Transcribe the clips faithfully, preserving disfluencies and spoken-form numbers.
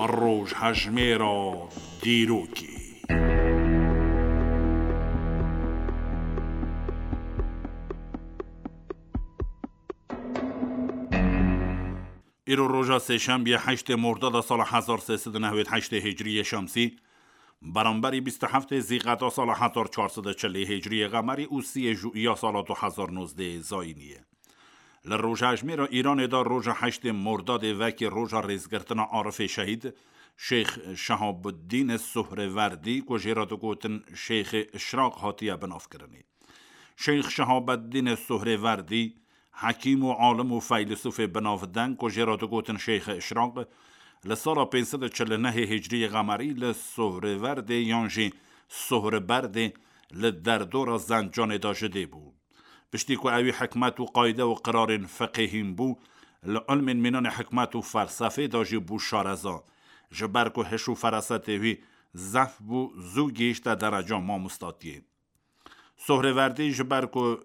Rojhejmêra dîrokê. Îro roja sêşembiye heştê Mordada sala hezar sê sed û newêd heştê Hicriyê Şemsî, beramberî bîst û heftê Zîqeta sala hezar çar sed û çilê Hicriyê Qemerî û siyê Jûiya sala du hezar nozdehê Zayînî ye. Li rojhejmêra Îranê de roja heştê Mordadê wekî roja rêzgirtina Arifê Şehîd, Şêx Şehabuddîn Sohrêverdî, ku jê re digotin Şêxê Işraq, hatiye binavkirinê. Şêx Şehabeddîn Sohrêverdî, hekîm û alim û feylisûfê binavdeng ku jê re digotin Şêxê Işraq, li sala pênc sed û çil û nehê Hicriyê Qemerî li Sohrêverdê yan jî Sohriberdê li derdora Zencanê de ji dê bû. Piştî ku ewî hikmet û qayde û qirarên fiqihîn bû, li ilmên mînanê hikmet û felsefê de jî bû şareza. Ji ber ku hiş û ferasetê wî zehf bû, zû gihîşte dereca mamostatiyê. Sohrêverdî ji ber ku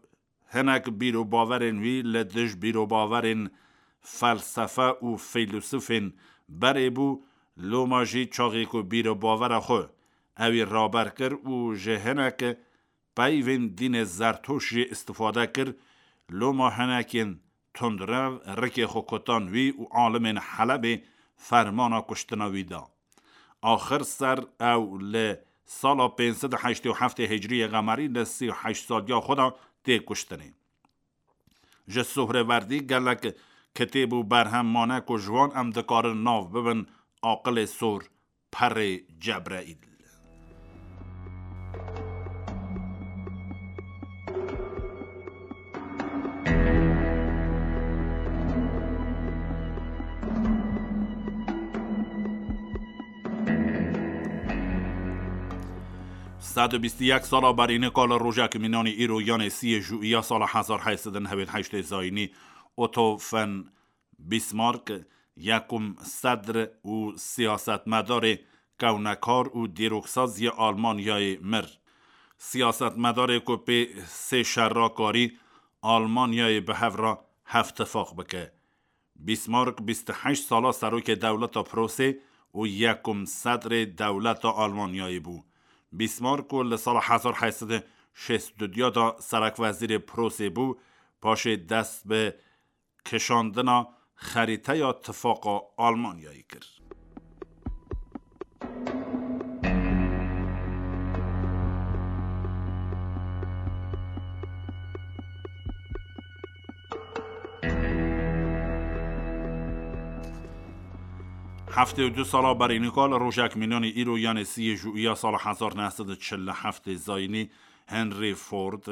hinek bîr û bawerên wî li dij bîr û bawerên felsefe û feylisûfên berê bû, loma jî çaxê ku bîr û bawera xwe ewî raber kir û ji hinek peyvên dînê Zertoş jî îstifade kir, loma hinekên tundrev rikê xwe kutan wî û alimên Helebê fermana kuştina wî da. Axir ser ew li sala pênc sed û heştê û heftê Hicriyê Qemerî li sî û heşt saliya xwe de tê kuştinê. Ji Sohrêverdî gelek kitêb û berhem mane ku ji wan em dikarin nav bibin Aqilê Sor, Perê Cebreîl. Sed û bîst û yek sala berî nika li rojek mînanî îro, yanê siyê Jûiya sala hezar heyt sed û newêd heştê Zayînî, Otto von Bismarck, yekum sedr û siyasetmedarê kewnekar û dîroksaz yê Almanyayê mir. Siyasetmedarê ku pê sê şerra karî Almanyayê bi hev re hevtifaq bike. Bismarck bîst û heşt sala serokê dewleta Prosê û yekum sedrê dewleta Almanyayê bû. Bismarck ku li sala hezar heyt sed û şêst û du de serekwezîrê Prosê bû, paşê dest bi kişandina xerîteya tifaqa Almanyayê kir. Heftê û du sala berî nika li rojek mînanî îro, yanê siyê Jûiya sala hezar neh sed û çil û heftê Zayînî, Henry Ford,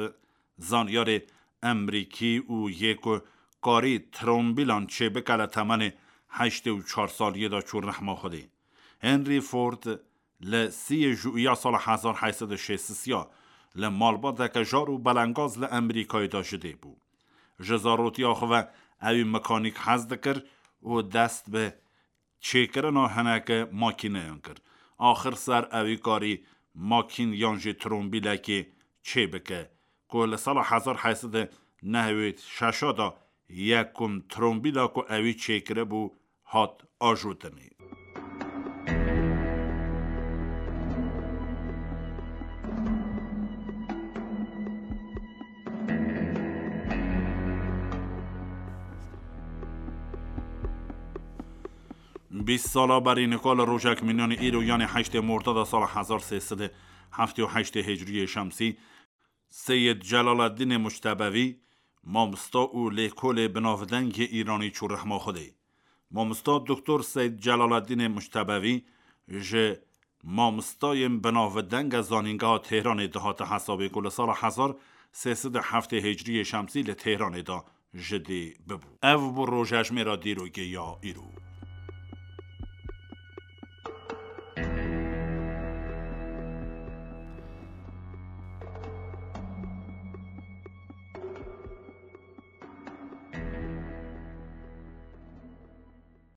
zanyarê Emerîkî û yê ku karî trombîlan çêbike, li temenê heştê û çar saliyê de çû rehma Xwedê. Henry Ford li siyê Jûiya sala hezar heyt sed û şêst ya li malbateke jar û belengaz li Emerîkayê de ji dê bû. Ji zarotiya xwe ve ewî mekanîk hez dikir û dest bi çêkirina hineke makîneyan kir. Axir ser ewî karî makîn yan jî trombîlekê çêbike, ku li sala hezar heyt sed û newêd şeş de yekum trombîla ku ewî çêkiribû hat ajotinê. Bîst sala berî nika li rojek mînanî îro, yanê heştê Mordada sala hezar sê sed û heftê û heştê Hicriyê Şemsî, Seyid Celaleddînê Muctebevî, mamosta û lêkolê binavdeng yê Îranî çû rehma Xwedê. Mamosta Doktor Seyid Celaleddînê Muctebevî ji mamostayên binavdeng a Zanîngeha Tehranê dihate hesabê ku li sala hezar sê sed û heftê Hicriyê Şemsî li Tehranê de ji dê bibû. Ev bû rojhejmêra dîrokê ya îro.